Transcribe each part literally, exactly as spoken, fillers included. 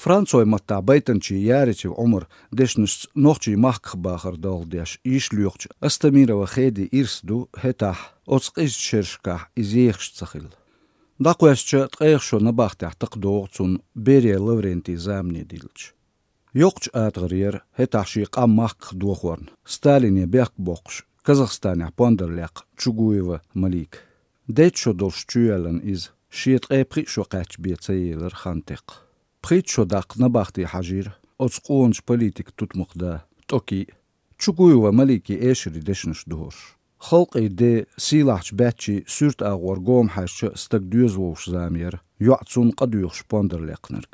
Францой маттахь байтанчийн Яричев Ӏумаран дешнашца нохчийн махках бахар долх деш йиш лоьхучу Астамирова Хедин ирс ду хӀетахь оцу къизачу шерашкахь иза ехаш ца хилла. ДӀакхоьссича, ткъех шо набахтехь такха догӀу цунна Берия Лаврентин замане диллича. Йоккхачу атагӀара яра хӀетахь шен къам махках дохорна Сталине бехк боккхуш Казахстанехь пондар лекха Чугуева Малика. Дейтта шо долуш чуйоьллина иза, шен ткъе пхиъ шо кхаьчча бен ца елира хан текха. Пхийтта шо даккха набахте хьажийра оцу къоначу политикан тутмакх да ТӀокий а, Чугуева Маликин эшарийн дешнаш духуш. Халкъийн ден, сийлахьчу баьччийн суьрта агӀор гома хьаьжча а стаг доьза вовшах зама яра, йоӀ цунна къа доьхуш пондар лекхнарг.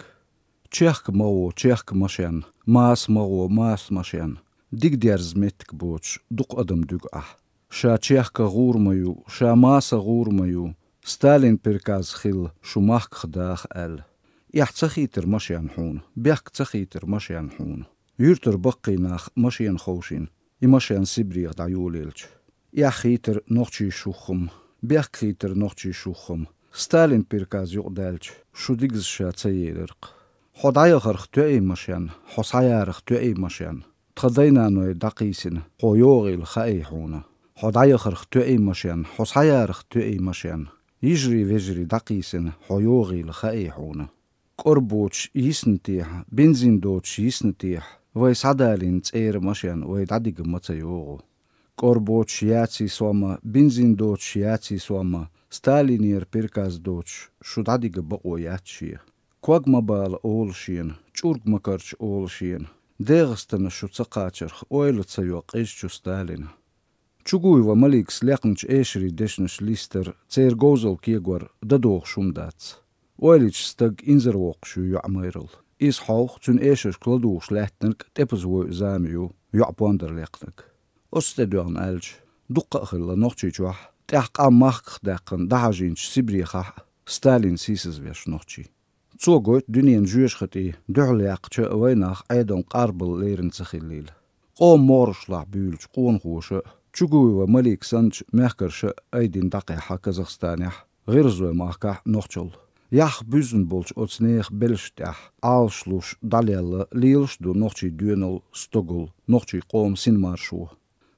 Чехка ма гӀо, чехка машен, маса ма гӀо, маса машен, дика дерза меттиг боцуш дукха адам дуьгу ахь. Ша чехка гӀур ма ю, ша маса гӀур ма ю, Сталин приказ хилла шу махках даха аьлла. Эхь ца хийтира машен хьуна, бехк ца хийтира машен хьуна. Юьртара баккхий нах машена ховшийна, и машен Сибрех дӀайолаелча. Эхь хийтира нохчийн шух-м, бехк хийтира нохчийн шух-м, Сталин приказ юкъадаьлча, шу дигаза ша ца елира-кх. Хьо дӀаяхарх тоьий машен, хьо схьаярах тоьий машен, тхан дай-наной дӀакхийсина хьо йогӀийла хаий хьуна. Хьо дӀаяхарх тоьий машен, хьо схьаярах тоьий машен, йижарий-вежарий дӀакхийсина хьо йогӀийла хаий хьуна. КӀор боцуш йисна техьа, бензин доцуш йисна техьа, вай схьадалийна цӀера машен вай дӀадига ма ца йогӀу. КӀор боцуш яций сом а, бензин доцуш яций сом а, Сталинера приказ доцуш шу дӀадига бакъо яц шен. Ког ма бала олу шена, чӀург ма карча олу шена, ДегӀастана шу ца кхачарх ойла ца йо къизачу Сталина. Чугуева Маликас лекхначу эшарийн дешнаш листар, церан говзалла кегор дадохуш хӀума дац. Ойла йича стаг инзарвоккхуш ю йоӀ майралла. Иза хьовха, цуьнан эшаршка ладугӀуш лаьттинарг тӀепаза войу зама ю йоӀ пондар лекхнарг. Оцу тӀе доьгӀна аьлча, дуккха а хилла Нохчийчохь, тӀаьхьа къам махках даьккхина дӀахьажийначу Сибрехахь а Сталин сийсазвеш нохчий. Цо гойту дуьненан жоьжахатий дуьхьал яьккхича а вайнах Ӏедална къарбалла лерина ца хиллийла. Къоман могӀарашлахь буьйлучу къонахоша а, Чугуева Малика санначу мехкарша а айдина дӀакхехьа Казахстанехь, ГӀиргӀазойн махкахь а нохчалла. Яхха буьззина болчу оцу нехан белшна тӀехь Ӏалаш луш дӀалелла лелаш а ду нохчийн доьналла, стогалла, нохчийн къоман синмаршо.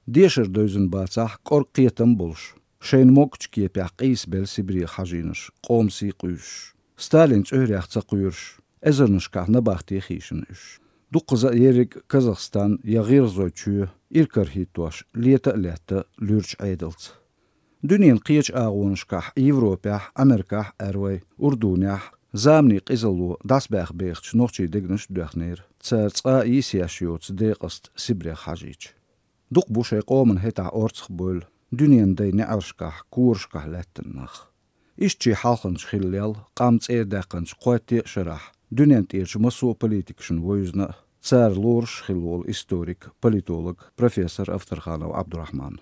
Дешар девзина бацахь, кӀорга кхетам а болуш, шайна могучу кепехь къийсабелла Сибрех хьажийнарш, къоман сий къуьйсуш, Сталин цӀоьрех ца кхоьруш, эзарнашкахь набахте хийшина уьш. Дуккхаза а ерриг а Казахстан я ГӀиргӀазойн чоь иракарахӀиттош лета а летта луьрачу Ӏедалца. Дуьненан кхечу агӀонашкахь, Европехь, Америкахь а аьрру вай, Урдунехь а, заманийн къизалло дӀасабаьхна бехачу нохчийн дегнаш а доьхнера, цара цкъа а йисъеш йоцу декъаст Сибрех хьажийча. Дукха бу шайн къомана хӀетахь орцахбевлла дуьненан дайн неӀаршкахь, корашкахь лаьттина нах. Иштта шен хьалханча хилла лел, къам цӀера даьккхинчу кхойтте а шарахь, дуьнен тӀерачу массо а политикашна вевзина а, цара лоруш а хилла волу историк, политолог, профессор Авторханов Ӏабдурахьман.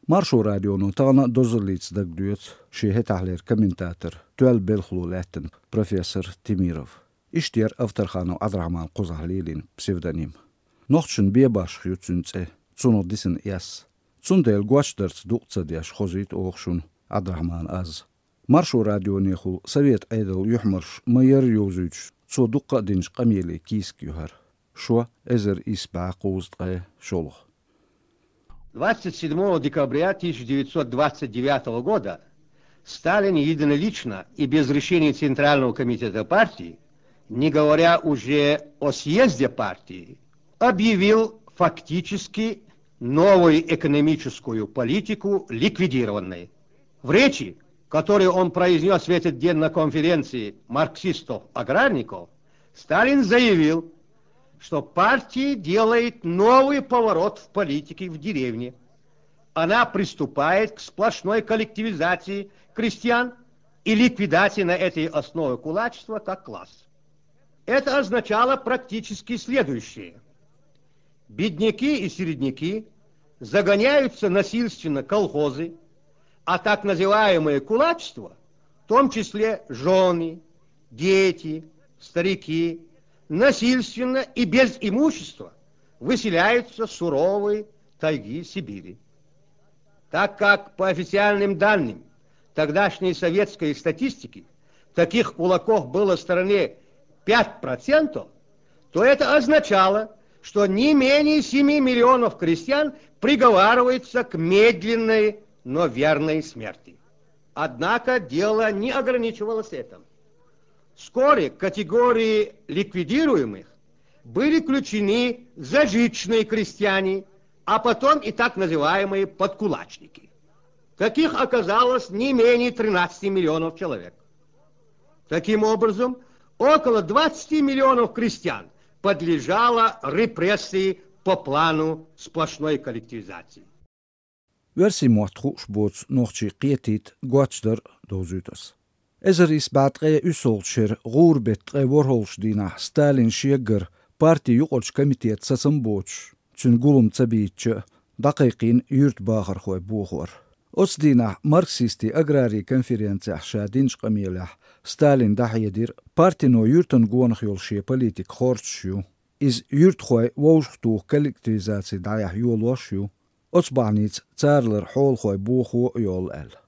Маршо радионо тахана а дозаллица дагадоьцу шен хӀетахьлера комментатор, тоьлла белхало лаьттина профессор Темиров. Иштта яра Авторханов Ӏабдурахьман кхузахь лелийна псевдоним. Нохчашна бен башха ю цуьнан цӀе, цунах дисина эс. Цундела гочдарца дукъ ца деш хозуьйту оха шуна Ӏабдурахьман аз. Маршо радионехула Совет Ӏедалан юьхьмарш ма-ярра йовзуьйтуш, цо дуккха а динчу къамеле кийсак ю хӀара. Шо, эзар исс бӀе кхузткъе шолгӀа. Двадцать седьмого декабря тысяча девятьсот двадцать девятого года Сталин единолично и без решения Центрального комитета партии, не говоря уже о съезде партии, объявил фактически новую экономическую политику ликвидированной. В речи, которую он произнёс в этот день на конференции марксистов-аграрников, Сталин заявил, что партия делает новый поворот в политике в деревне. Она приступает к сплошной коллективизации крестьян и ликвидации на этой основе кулачества как класс. Это означало практически следующее. Бедняки и середняки загоняются насильственно в колхозы, а так называемое кулачество, в том числе жены, дети, старики, насильственно и без имущества выселяются в суровые тайги Сибири. Так как, по официальным данным тогдашней советской статистики, таких кулаков было в стране пять процентов, то это означало, что не менее семи миллионов крестьян приговариваются к медленной, но верной смерти. Однако дело не ограничивалось этим. Вскоре к категории ликвидируемых были включены зажиточные крестьяне, а потом и так называемые подкулачники. Таких оказалось не менее тринадцати миллионов человек. Таким образом, около двадцати миллионов крестьян подлежало репрессии по плану сплошной коллективизации. Оьрсийн мотт хууш боцу нохчий кхетийта гочдар довзуьйту ас. Эзар исс бӀе ткъе уьссалгӀачу шеран гӀуран беттан ткъе ворхӀалгӀачу дийнахь Сталин шеггара партин юкъарчу комитетан сацам боцуш, цуьнан гулам ца бийцча, дӀакхайкхийна юьртан бахархой бохор. Оцу дийнахь марксистийн аграрийн конференцехь ша динчу къамелехь Сталин дӀахьедира партино юьртан гонах йолу шен политика хорцуш ю. Иза юьртахой вовшахтуху коллективизаци дӀаяхьа йолош ю. Оцу бахьаница царалара хьолахой бохо а йолу аьлла.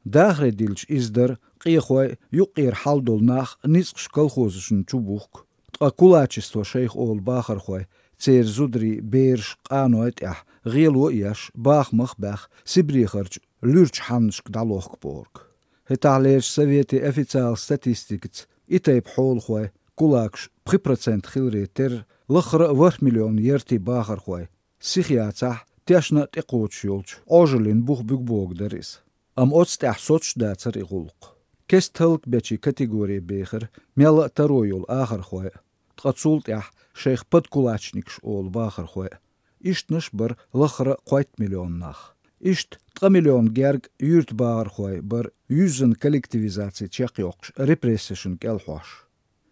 Дахаре дилча иза дара, къехой, юккъера хьал долу нах ницкъаш колхозашна чу бухку, ткъа кулачество шайх олу бахархой, церан зударий, бераш, къаной тӀехь гӀело а еш, бахамах а баьхна, Сибрехарчу луьрачу хьаннашка дӀалохку бохург. ХӀетахьлерчу советийн официалан статистикаца и тайпа хьолахой, кулакаш, пхи процент хиларе терра, лаххара а ворхӀ миллион яртийн бахархой, сиха яцахь, тешна а тӀекхочуш йолчу Ӏожаллин бух буьгу бохург дара иза. Амма оцу тӀехь соцуш дацара и гӀуллакх. Кеста хӀаллакбечийн категори бехира мелла а таро йолу ахархой а, ткъа цул тӀаьхьа шайх подкулачникаш олу бахархой а. Ишттанаш бара лаххара а кхойтта миллион нах. Иштта ткъа миллион герга юьртан бахархой бара юьззина коллективизаци чекхйоккхуш репрессешна кӀелхьош.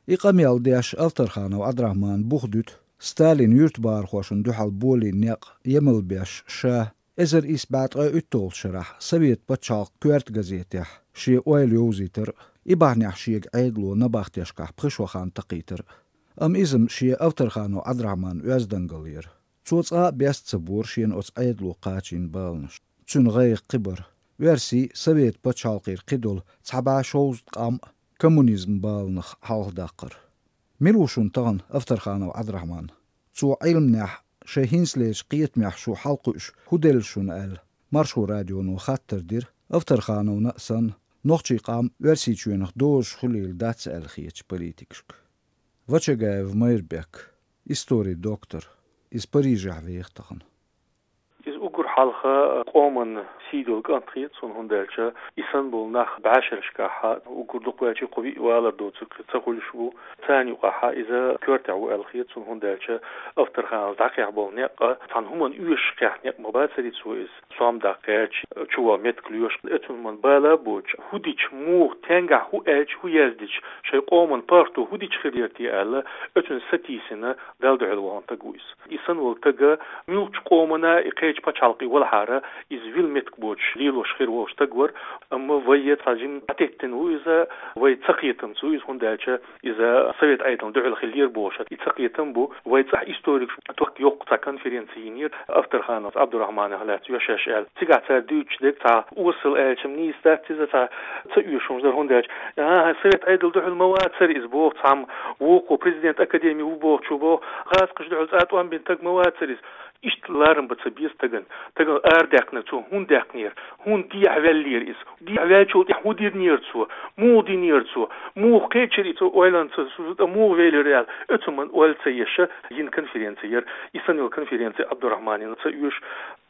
И къамел деш Авторханов Ӏабдрахьмана бух дуьту Сталина юьртан бахархошна дуьхьал болийна некъ емал беш ша, эзар исс бӀе ткъе уьтталгӀачу шарахь Совет пачхьалкхан коьрта газетехь шен ойла йовзийтар а, и бахьанехь шега Ӏедало набахтешкахь пхи шо хан такхийтар а. Амма иза-м шен Авторханов Ӏабдрахьманан оьздангалла яра. Цо цкъа а беста ца бора шена оцу Ӏедало кхачийна баланаш. Цуьнан гӀайгӀа кхин бара: оьрсийн, Совет пачхьалкхера кхидолу цхьа бӀе шовзткъа къам а коммунизман баланах хьалхадаккхар. Мила ву шуна тахана Авторханов Ӏабдрахьман? Цо Ӏилманехь, шайн хӀинцалерчу кхетамехь шу хьалакхуьуш хӀун делла шуна аьлла, Маршо радионо хаттар дира Авторхановна а санна, нохчийн къам Оьрсийчоьнах дозуш хуьлийла дац аьлла хетачу политикашка. Вачагаев Майрбек, историн доктор, иза Парижехь веха тахана. Иза уггар хьалха къоман сий долу кӀант хета суна, хӀунда аьлча и санна болу нах бӀешерашкахь, уггар дукхаваьлча кху виъ валар доцург ца хуьлуш ву, царна юкъахь иза коьртехь ву аьлла хета суна, хӀунда аьлча Авторхановс дӀакхехь болу некъ цхьана хӀуманна оьшуш кхехь некъ ма бацара цо иза. Сом даккха гӀерташ, чувола меттиг лоьшуш, оцунна хӀуманна бала а боцуш, хӀун дича, муха, стенгахь хӀун аьлча, хӀун яздича, шайн къоман паргӀато хӀун дича хир яра те аьлла, оцунна сатийсина, Далла дуьхьал вахана стаг ву иза. И санна волу стага муьлххачу къомана и кхечу пачхьалкхе валахьара, иза вилла меттиг боцуш лелош хир волу стаг вара, амма вай цхьа жимма дӀатеттина ву иза, вай цакхетамца ву иза, хӀунда аьлча иза Совет Ӏедална дуьхьал хиллера бохуш. И цакхетам бу, вай цӀахь историкаш ток йоккху цхьа конференци йинера Авторхановс Ӏабдурахьманах лаьцна йо шаьш аьлла. Цигахь цара дуьйцуш дерг цхьа осал аьлча-м нийса дац иза, цхьа ца оьшуш дара, хӀунда аьлча, а, Совет Ӏедал дуьхьал ма вацара иза боху цхьамма, вукхо президент академи ву бохучо боху, гӀазкхаша дуьхьал цкъа тӀом бина стаг ма вацара иза. Иштта ларам бан ца беза стагана. Стагана арадаьккхинарг цо хӀунда даьккхинера? ХӀунда дехьаваьллера иза? Дехьаваьллачул тӀаьхьа хӀун динера цо? Муха динера цо? Муха кхечира и цо ойланца, цо тӀе муха велира аьлла? Оцу хӀуманна ойла ца еш йина конференци яра. И санна йолу конференци Ӏабдурахьманна ца оьшу.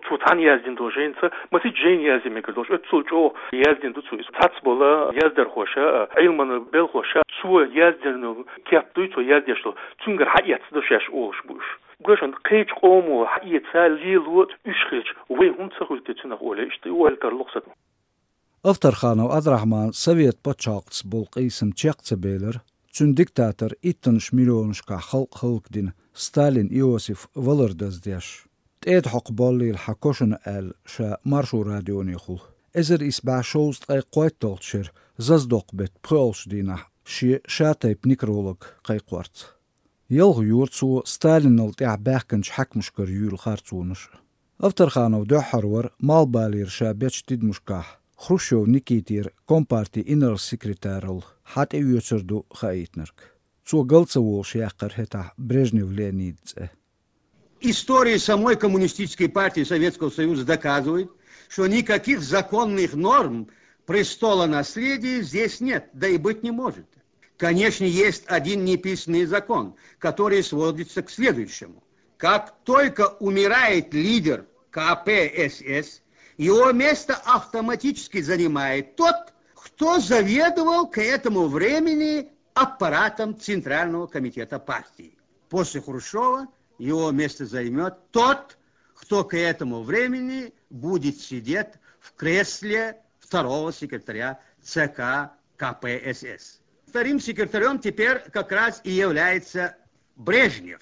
Цо цхьаьна яздина долу жайна ца, масийтта жайна язъян мегар долуш, оццул чӀогӀа яздина ду цо иза. Цхьацца болу яздархоша, Ӏилманан белхоша, цо яздина кеп дуй, цо яздеш долу, цуьнгара хьаэцна ду шаьш олуш бу уьш. Гуьйшан кхечу къомо хьаэца лело уьш хилча, вай хӀунда ца хуьлу те цуьнах олий, иштта и ойла тарло-кх сан. Авторханов Ӏабдурахьман Совет пачхьалкхаца болу къийсам чекх ца белира, цуьнан диктатор иттанаш миллионашкахь халкъ хӀаллакдина Сталин Иосиф валар даздеш. ТӀеда хьокху боллийла хьан кошана аьлла, ша Маршо радионехула, эзар исс бӀе шовзткъе кхойтталгӀачу шеран заздоккху беттан пхоьалгӀачу дийнахь шен ша-тайпа некролог кхайкхорца. Ялх йора цо Сталинал тӀаьхьа баьхкинчу хьаькамашкара юьйла харцонаш а. Авторханов дуьххьара вара малхбалера ша бечу тидамашкахь Хрущев Никитера компартин инарла-секретаралла хьан тӀеоьцур ду хаийтинарг. Цо гал ца волуш яьккхира хӀетахь Брежнев Леонида цӀе. История самой Коммунистической партии Советского Союза доказывает, что никаких законных норм престола наследия здесь нет, да и быть не может. Конечно, есть один неписанный закон, который сводится к следующему. Как только умирает лидер К П С С, его место автоматически занимает тот, кто заведовал к этому времени аппаратом Центрального комитета партии. После Хрущева его место займет тот, кто к этому времени будет сидеть в кресле второго секретаря Ц К К П С С. Вторым секретарем теперь как раз и является Брежнев.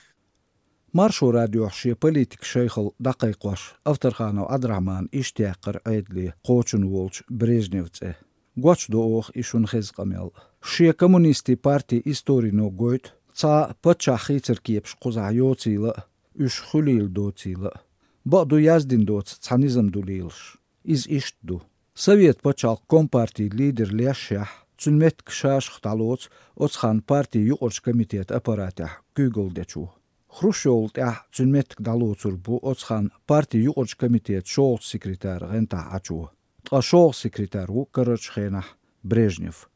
Маршо радиохь шен политикан шайхалла дӀакхайкхош, Авторханов Ӏабдрахьмана иштта яьккхира Ӏедале кхочун волчу Брежневн цӀе. Гочдо оха и шуна хеза къамел. Шен коммунистийн партин историно гойту, цхьа паччахь хийцар кепаш кхузахь йоцийла а, уьш хуьлийла доцийла а. Бакъду, яздина доцу цхьа низам ду лелаш. Иза иштта ду. Совет пачхьалкхан компартин лидер лешшехь, цуьнан меттиг шашах дӀалоцу оцу ханна партин юкъарчу комитетан аппаратехь куьйгалла дечо. Хрущевал тӀаьхьа цуьнан меттиг дӀалоцур бу оцу ханна партин юкъарчу комитетан шолгӀачу секретаран гӀантахь Ӏачо. Ткъа шолгӀа секретарь ву карарчу хенахь Брежнев.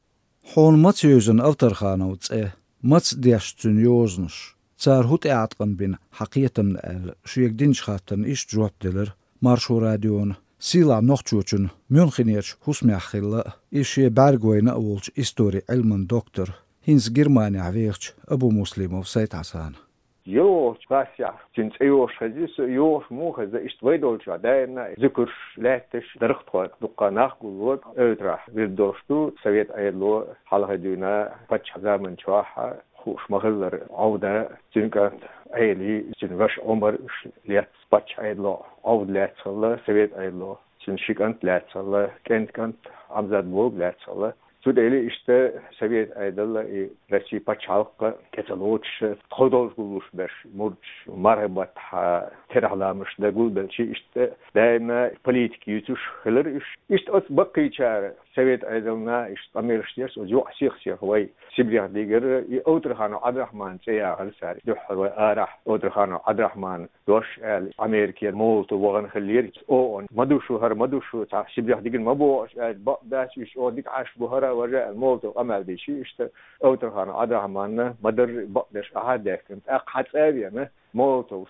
Хьуна маца евзина Авторхановн цӀе, маца дешна цуьнан йозанаш, цара хӀун тӀеӀаткъам бина хьан кхетамна аьлла, шега динчу хаттарна иштта жоп делира Маршо радиона сийлахь нохчочунна Мюнхенерчу хӀусамехь хилла а, иза шен бӀаьргавайна а волчу историн Ӏилман доктор, хӀинца Германехь вехачу Абумуслимов Сайд-Хьасана. ЙогӀучу классехь цуьнан цӀе йогӀуш хезна со, йогӀуш муха хезна, иштта вай долчохь даимна зуькарш лаьтташ, дархтхой дуккха нах гулло, эвтарахь вирд долуш ду, совет Ӏедало хьалхе дуьйна паччахьан заманчохь хууш ма-хиллара Ӏовдан, цуьнан кӀант Ӏели, цуьнан ваша Ӏумар, уьш лаьцна паччахьан Ӏедало Ӏовда лаьцна хилла, совет Ӏедало цуьнан ши кӀант лаьцна хилла, кӀентан кӀант Ӏамзат-Бога лаьцна хилла. Цундела иштта совет Ӏедал а, и Россин пачхьалкх а тӀе ца лоцуш, тхо долуш гуллуш берш, мурдаш, мархин баттахь терахьламаш дан гулбелча, иштта даимна политика юьйцуш хилира уьш. Иштта оцу баккхийчара совет Ӏедална иштта къамелаш деш, оцу юкъа сих-сиха вай Сибрех дигира, и Авторханов Ӏабдрахьманан цӀе яхара цара. Дуьххьара вай арахь Авторханов Ӏабдрахьманан дош аьлла, Америке Молотов вахана хиллера. О, ма ду шу хӀара, ма ду шу, цхьа Сибрех дигина ма боху шу аьлла, бакъ дац, уьш чӀогӀа дика Ӏаш бу хӀара, важа аьлла, Молотовс къамел дича, иштта Авторханов Ӏабдрахьманна ма-дарра бакъдерш ахьа а даьхкина. ТӀаккха хьан цӀа а веана, Молотовс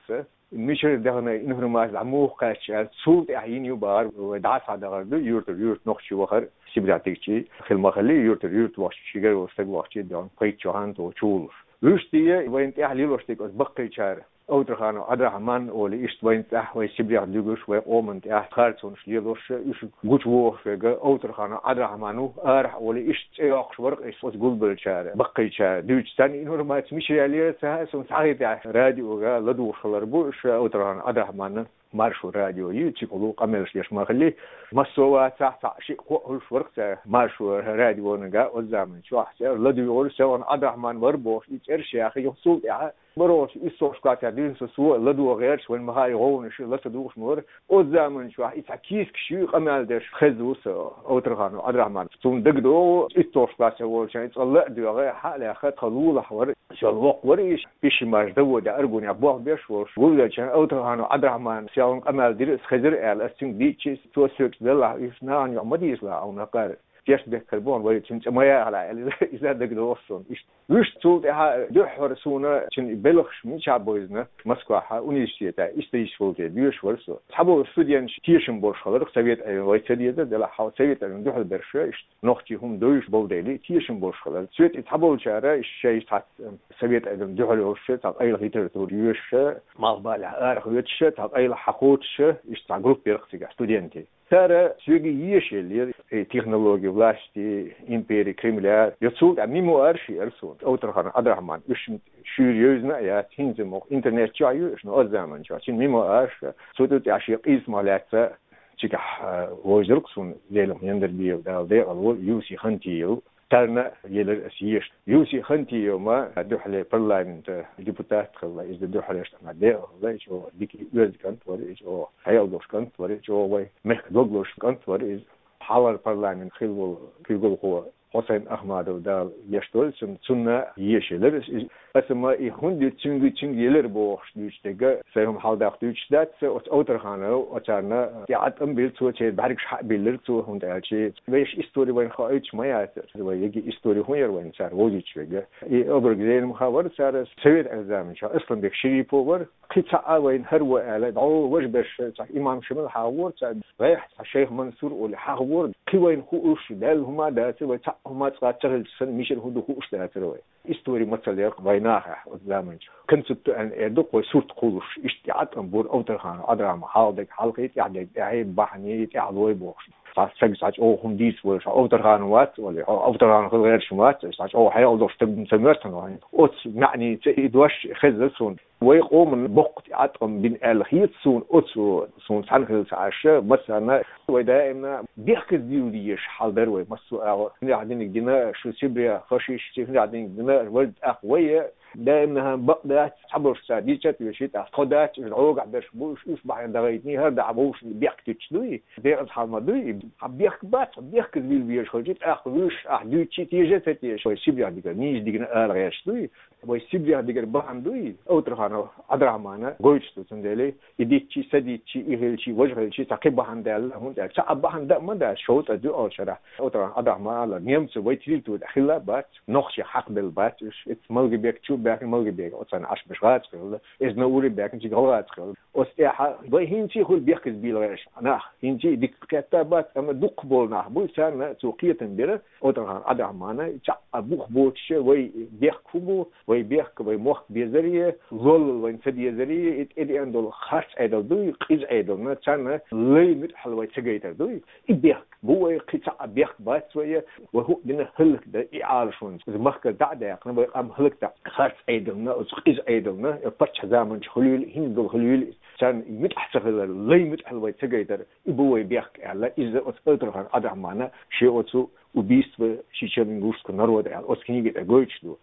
мичара дахана информаци дӀа муха кхаьчча аьлла, цул тӀаьхьа йина ю бахара, вай дӀа а схьадахар ду, юьртара юьрта нохчий вахара, Сибрех дигчий, хила ма-хиллий, юьртара юьрта вахча, ши гергара стаг вахча, дехна пхийтта шо хан тоха чу волуш. Вуьшта вайна тӀехь лелош дерг оцу баккхийчара, Авторханов Ӏабдрахьман олий, иштта вайна тӀехь, вай Сибрех дуьгуш, вай къоманна тӀехь харцонаш лелош, уьш гучувохуш верг Авторханов Ӏабдрахьман ву, арахь олий, иштта цӀе йоккхуш вара-кх иза оцу гулбеллачара, баккхийчара. Дуьйцу царна информаци мичара яьллера ца хаьа суна, схьахетахь радиога ладугӀуш хилар бу, уьш Авторханов Ӏабдрахьманан Маршо радио ю, цигахула къамелаш деш ма-хиллий. Массо а вацахь, цхьаъ-шиъ кхоъ хуьлуш вара-кх цара Маршо радионага оцу заманчохь, цара ладуьйгӀира, Селхан Ӏабдрахьман вара бохуш, и цӀераш яьхна, юха цул тӀаьхьа бархӀалгӀачу уьссалгӀачу классехь дуьйна со, со ладогӀа гӀерташ, вайна ма-хаъара, и гӀовгӀанаш латадугӀуш ма вара. Оцу заманчохь и цхьа кийсакаш ю, къамел деш хезна ву со Авторханов Ӏабдрахьман. Суна дагадогӀу, итталгӀачу классехь волчохь и цкъа ла а доьгӀна, хьа а лаьхна, тхан лулахь вара, соьлла воккха вара иза. Пишимаш Давуде Аргунехь болх беш волуш, гулбеллачарна Авторханов Ӏабдрахьмана Селхан къамел дира, аса хезира аьлла, аса цуьнга дийцча, цо соьга: «Делахь, уьш нахана юкъа ма дийцалахь хьуна хӀокхара. Тешнабехкар бу хьуна, вай цуьнан цӀе ма яхалахь», — аьлла, иза, иза дагадогӀу суна иштта. Вуьшта цул тӀаьхьа дуьххьара суна цуьнан белхаш мичахь бевзина, Москвахь университетехь исторический факультет доьшуш вара со. Цхьаболу студенташ тешам болуш хилар-кх, совет Ӏедал вай ца деза, делахь хьо совет Ӏедална дуьхьал берш, иштта нохчийн хӀума девзаш болу дела, тешам болуш хилар. Цуьнан тӀе цхьаболчара, иштта шайн цхьацца совет Ӏедална дуьхьал йолуш, цхьа къайла литература йоьшуш, малхбалехь арахь воьдуш, цхьа къайла хьакхочуш, иштта цхьа группа яра-кх цигахь студентийн. Цара соьга еша еллера, и «Технологии власти империи Кремля», я цул тӀаьхьа мемуарш яра суна. Авторханов Ӏабдрахьман, уьш шуьйра евзина а яц, хӀинца ма-, интернет чохь ю уьш, но оцу заманчохь цуьнан мемуарш, цу тӀе тӀехь шен къийсамах лаьцна, цигахь, а, вовзар-кх суна Зелимхан Яндарбиев, Дала декъала волва, Юси Хантиев. Царна елира аса еша. Юси Хантиев ма дуьххьарлера парламентан депутат хилла, иза дуьххьарлерчу тӀамехь декъала хилла, иза чӀогӀа дика оьзда кӀант вара, иза чӀогӀа хьекъал долуш кӀант вара, иза чӀогӀа вай мехкан дог лозуш кӀант вара иза. Хьалхара парламент хилла волу куьйгалхо Хьусайн Ахмадов, Дала гешт долда цунна, цунна еша елира из. Аса ма и хӀунда ю цуьнга, цуьнга елира бохуш дуьйцу дерг, сайн хӀума хьалдаккха дуьйцуш дац, оцу Овтарханов оцарна тӀе ӀатӀам бира цо, церан бӀаьргаш хьа а биллира цо, хӀунда аьлча вешан истори вайна хоуьйтуш ма яцара. Вай еги истори хӀун яра вайна цара вовзуьйтуш верг? И обраг зенам хавара цара совет заманчохь. Асланбек Шерипов вара, кхин цхьа а вайна хӀара ву аьлла, дӀо важа берш цхьа имам Шамил хьахавора цара, гӀайхьа цхьа шайх Мансур олий хьахавора, кхин вайна хууш, Далла хӀума а дацара, вай цхьа а хӀума цкъа ца хилча санна, мичара хӀун ду хууш дацара вай. Истори мацалла яра вай нахехь оцу заманчохь. Концепт аьлла эр ду-кх вай сурт кхуллуш, иштта тӀе ӀатӀам бора Овтарханов Ӏабдрахьман, хьалхадерг хьалхе, тӀаьхьадерг тӀаьхье, бахьане, тӀаьхьало бохуш. Цхьа стаг цхьа чӀогӀа хӀума дийца волуш, хьо Овтарханов вац олий, хьо Овтарханов хила гӀерташ ма вац, цхьа чӀогӀа хьекъал долуш стаг ца моьтту хьуна вайн. Оцу маьӀница и дош хезна суна. Вай къоман боккха тӀе ӀатӀам бина аьлла хета суна, оцу суна цхьаьна хилла ца Ӏаш, массарна вай даимна бехказбийла дезаш хьал дара вай, массо а агӀо. ХӀунда аьлча диниг дина шу Сибре фашисташа, хӀунда аьлча диниг дина вай, тӀаккха вай даимна бакъ дац, цхьаболуш цара дийцча а теший, тӀаккха тхо дац, уьш гӀогахь берш бу, уьш, уьш бахьана дӀагӀайтиний, хӀара дахьа вовшашна бехк туьтуш дуй, декъаза хьал ма дуй. Хьан бехк бац, хьан бехказбийла везаш хилча, тӀаккха вуьш ахь дуьйцучи теша а ца теша, вай Сибрех дигара нийса дигна ала гӀерташ дуй. Вай Сибрех дигара бахьана дуй, Овтарханов Ӏабдрахьмана гойтуш ду, цундела и дитчи, са дитчи, и хилчи, важа хилчи, цхьа кхин бахьана даьлла, хӀунда аьлча цхьа а бахьана дан ма дац, шовзткъа дуьйалгӀачу шарахь Овтарханов Ӏабдрахьман аьлла, немцо вай территори тӀехь хилла а бац, нохчий хьакхабелла бац уьш, иза Малгобек чу а баьхкина, Малгобек оцарна Ӏаш берш гӀазкхи хилла, иза Навур а баьхкина, цига гӀалгӀазкхи хилла. Оцу тӀехь вай хӀинца а хуьлу бехказбийла гӀерташ нах, хӀинца а дика кхетта а бац, амма дукхахболу нах бу, царна цо кхетам бира, Овтарханов Ӏабдрахьмана, цхьа а бух боцуш вай бехк хӀун бу, вай бехк, вай мохк безаре, лоллал вайна ца дезаре, и тӀедеана долу харц Ӏедал дуй, къиза Ӏедална, царна лай муьтӀахьал вай ца гайтар дуй. И бехк бу вай, кхин цхьа а бехк бац вай, вай хӀуъа дина хӀаллакдан и Ӏалашонца. Иза махкара дӀа а даьккхина, вай къам хӀаллакдан харц Ӏедална, оцу къиза Ӏедална, паччахь заманчохь хуьлийла, хӀинца долу хуьлийла, царна муьтӀахь ца хилар, лай муьтӀахьал вай ца гайтар, и бу вай бехк аьлла, иза оцу Овтарханов Ӏабдрахьмана шен оцу «Убийство чечено-ингушского народа» аьлла, оцу книги тӀехь гойтуш ду.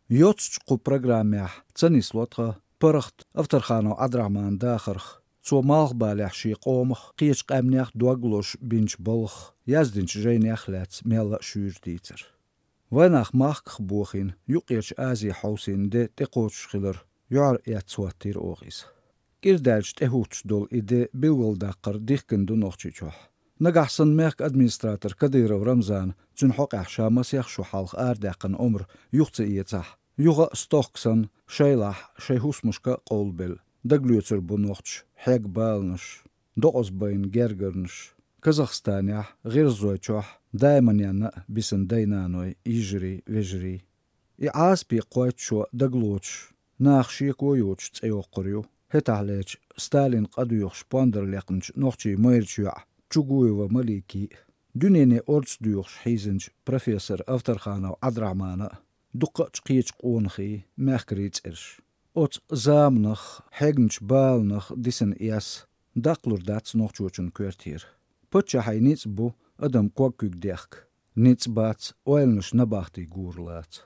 Йоццачу кху программехь ца нисло тхан паргӀат Овтарханов Ӏабдрахьманан дахарх, цо малхбалехь шен къомах, кхечу къаьмнех дог лозуш бинчу балхах, яздинчу жайнех а лаьцна мелла а шуьйра дийцар. Вайнах махках бохийна, Юккъерчу Азе хьовсийна де тӀекхочуш хилар юьхьар эцна хӀоттийра оха иза. КӀира даьлча тӀехӀуттуш долу и де билгалдаккхар дихкина ду Нохчийчохь. Нагахь санна мехкан администратор Кадыров Рамзана цуьнан хьокъехь ша масех шо хьалха арадаьккхина омра юха ца эцахь, юха а стохка санна, шайлахь шайн хӀусамашка а къовлабелла, дагалоьцур бу нохчаша хьегна баланаш, докъазбайна гергарнаш, Казахстанехь, ГӀиргӀазойчохь, Дайманенна а бисина дай-наной, йижарий, вежарий. И Ӏазапе кхойтта шо дагалоцуш, наха шеко йоцуш цӀе йоккхур ю, хӀетахь лечу Сталин къа доьхуш пондар лекхначу нохчийн майрачу йоӀа Чугуева Маликин а, дуьнене орца доьхуш хьийзинчу профессор Овтарханов Ӏабдрахьманан а, дуккха а кхечу къонахий, мехкарий цӀераш. Оцу заманах, хьегначу баланах дисина эс даккхалур дац нохчочун коьртера. Паччахьан ницкъ бу адам ког куьг дехка. Ницкъ бац ойланаш набахти гур лаца.